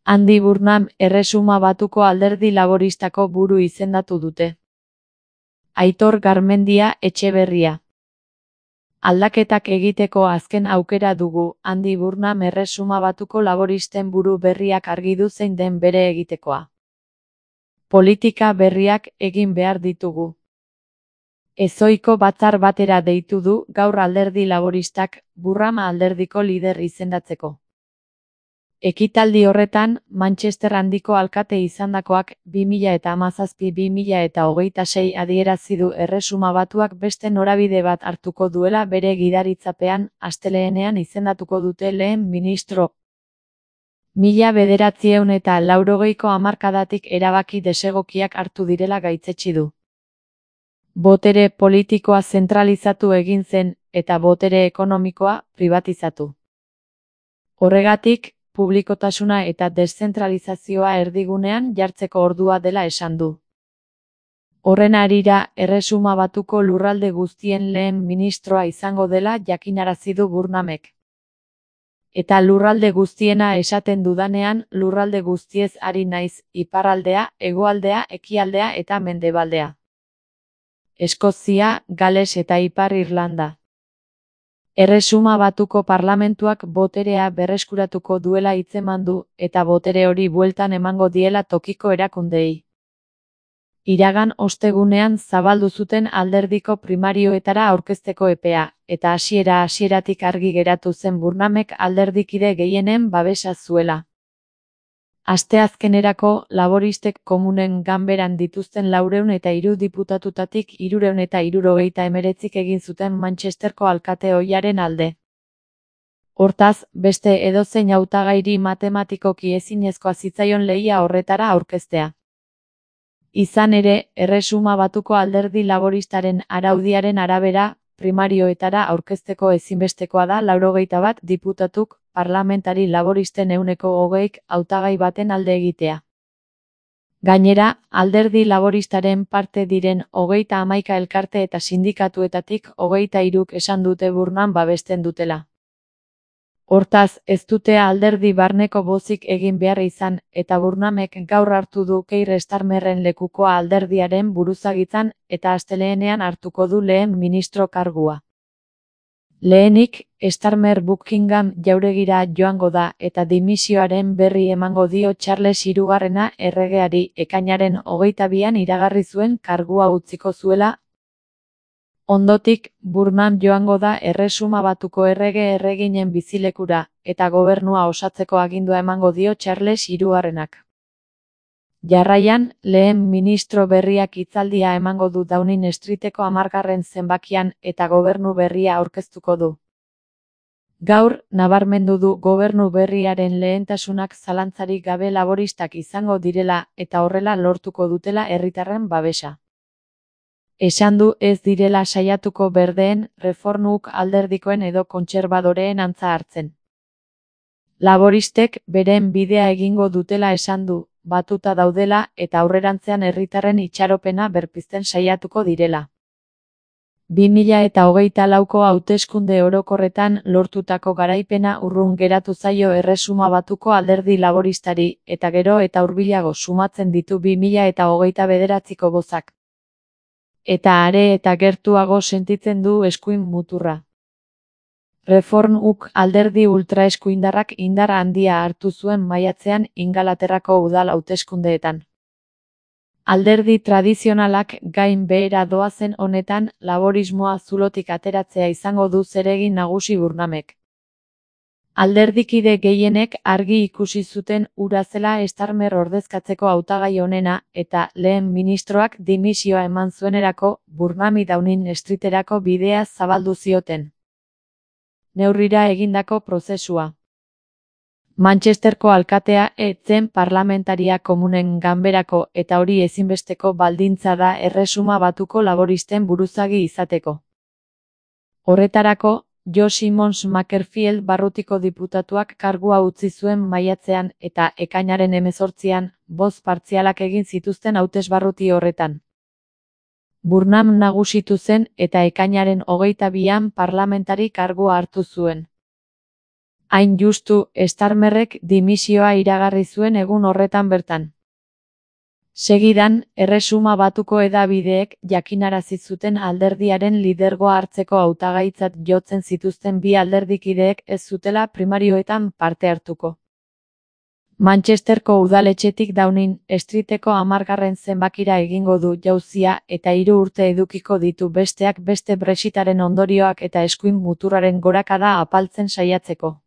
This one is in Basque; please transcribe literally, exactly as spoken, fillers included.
Andy Burnham Erresuma Batuko Alderdi Laboristako buru izendatu dute. Aitor Garmendia Etxeberria. Aldaketak egiteko azken aukera dugu, Andy Burnham Erresuma Batuko laboristen buru berriak argi du zein den bere egitekoa. Politika berriak egin behar ditugu. Ezohiko batzar batera deitu du gaur Alderdi Laboristak, Burnham alderdiko lider izendatzeko. Ekitaldi horretan, Manchester handiko alkate izandakoak bi mila hamazazpi bi mila hogeita sei adierazi du Erresuma Batuak beste norabide bat hartuko duela bere gidaritzapean, astelehenean izendatuko dute lehen ministro. Mila bederatziehun eta laurogeiko hamarkadatik erabaki desegokiak hartu direla gaitzetsi du. Botere politikoa zentralizatu egin zen, eta botere ekonomikoa pribatizatu. Horregatik, publikotasuna eta deszentralizazioa erdigunean jartzeko ordua dela esan du. Horren harira, Erresuma Batuko lurralde guztien lehen ministroa izango dela jakinarazi du Burnhamek. Eta lurralde guztiena esaten dudanean, lurralde guztiez ari naiz, iparraldea, hegoaldea, ekialdea eta mendebaldea. Eskozia, Gales eta Ipar Irlanda. Erresuma Batuko parlamentuak boterea berreskuratuko duela hitzeman du, eta botere hori bueltan emango diela tokiko erakundeei. Iragan ostegunean zabaldu zuten alderdiko primarioetara aurkezteko epea, eta hasiera hasieratik argi geratu zen Burnhamek alderdikide gehienen babesa zuela. Asteazkenerako, laboristek komunen ganberan dituzten laurehun eta hiru diputatutatik hirurehun eta hirurogeita hemeretzik egin zuten Manchesterko alkate ohiaren alde. Hortaz, beste edozein hautagairi matematikoki ezinezkoa zitzaion lehia horretara aurkeztea. Izan ere, Erresuma Batuko Alderdi Laboristaren araudiaren arabera, primarioetara aurkezteko ezinbestekoa da laurogeita bat diputatuk, parlamentari laboristen ehuneko hogeik hautagai baten alde egitea. Gainera, Alderdi Laboristaren parte diren hogeita hamaika elkarte eta sindikatuetatik hogeita hiruk esan dute Burnham babesten dutela. Hortaz, ez dute alderdi barneko bozik egin behar izan, eta Burnhamek gaur hartu du Keir Starmerren lekukoa alderdiaren buruzagitzan, eta asteleenean hartuko du lehen ministro kargua. Lehenik, Starmer Buckingham jauregira joango da eta dimisioaren berri emango dio Charles hirugarrena erregeari ekainaren hogeita bian iragarri zuen kargua utziko zuela. Ondotik, Burnham joango da Erresuma Batuko errege erreginen bizilekura, eta gobernua osatzeko agindua emango dio Charles hirugarrenak. Jarraian, lehen ministro berriak hitzaldia emango du Downing Streeteko hamargarren zenbakian eta gobernu berria aurkeztuko du. Gaur, nabarmendu du gobernu berriaren lehentasunak zalantzarik gabe laboristak izango direla eta horrela lortuko dutela herritarren babesa. Esan du ez direla saiatuko berdeen, reformuk alderdikoen edo kontserbadoreen antza hartzen. Laboristek beren bidea egingo dutela esan du, batuta daudela eta aurrerantzean herritarren itxaropena berpizten saiatuko direla. bi mila hogeita lauko hauteskunde orokorretan lortutako garaipena urrun geratu zaio Erresuma Batuko Alderdi Laboristari, eta gero eta hurbilago sumatzen ditu bi mila hogeita bederatziko bozak. Eta are eta gertuago sentitzen du eskuin muturra. Reformuk alderdi ultraeskuindarrak indar handia hartu zuen maiatzean Ingalaterrako udal hauteskundeetan. Alderdi tradizionalak gain behera doazen honetan laborismoa zulotik ateratzea izango du zeregin nagusi Burnhamek. Alderdikide gehienek argi ikusi zuten hura zela Starmer ordezkatzeko hautagai onena eta lehen ministroak dimisioa eman zuenerako Burnhami Downing Streeterako bidea zabaldu zioten. Neurrira egindako prozesua. Manchesterko alkatea ez zen parlamentaria komunen ganberako eta hori ezinbesteko baldintza da Erresuma Batuko laboristen buruzagi izateko. Horretarako, Jo Simons Makerfield barrutiko diputatuak kargua utzi zuen maiatzean eta ekainaren hemezortzian, boz partzialak egin zituzten hautesbarruti horretan. Burnham nagusitu zen eta ekainaren hogeita bian parlamentari kargua hartu zuen. Hain justu, Starmerrek dimisioa iragarri zuen egun horretan bertan. Segidan, Erresuma Batuko hedabideek jakinarazi zuten alderdiaren lidergoa hartzeko hautagaitzat jotzen zituzten bi alderdikideek ez zutela primarioetan parte hartuko. Manchesterko udaletxetik Downing Streeteko hamargarren zenbakira egingo du jauzia eta hiru urte edukiko ditu besteak beste Brexitaren ondorioak eta eskuin muturraren gorakada apaltzen saiatzeko.